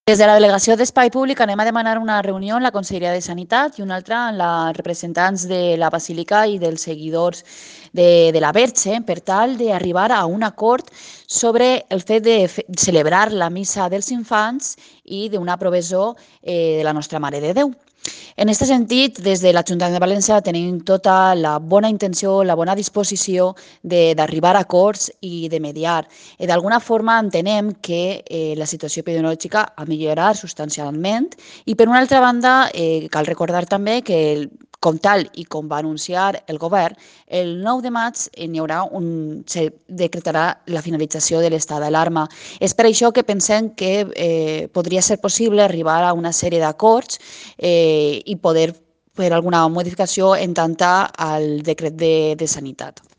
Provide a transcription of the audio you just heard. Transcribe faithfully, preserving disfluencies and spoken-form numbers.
Des de la Delegació d'Espai Públic anem a demanar una reunió en la Conselleria de Sanitat i una altra en els representants de la Basílica i dels seguidors de, de la Verge per tal d'arribar a un acord sobre el fet de fe- celebrar la missa dels infants i d'una provisió eh, de la Nostra Mare de Déu. En aquest sentit, des de l'Ajuntament de València tenim tota la bona intenció, la bona disposició de- d'arribar a acords i de mediar. Eh, D'alguna forma entenem que eh, la situació epidemiològica ha millorat substancialment i, per una altra banda, eh, cal recordar també que, el- com tal i com va anunciar el govern, el nou de maig eh, n'hi haurà un, se decretarà la finalització de l'estat d'alarma. És per això que pensem que eh, podria ser possible arribar a una sèrie d'acords eh, i poder fer alguna modificació en tant al decret de, de sanitat.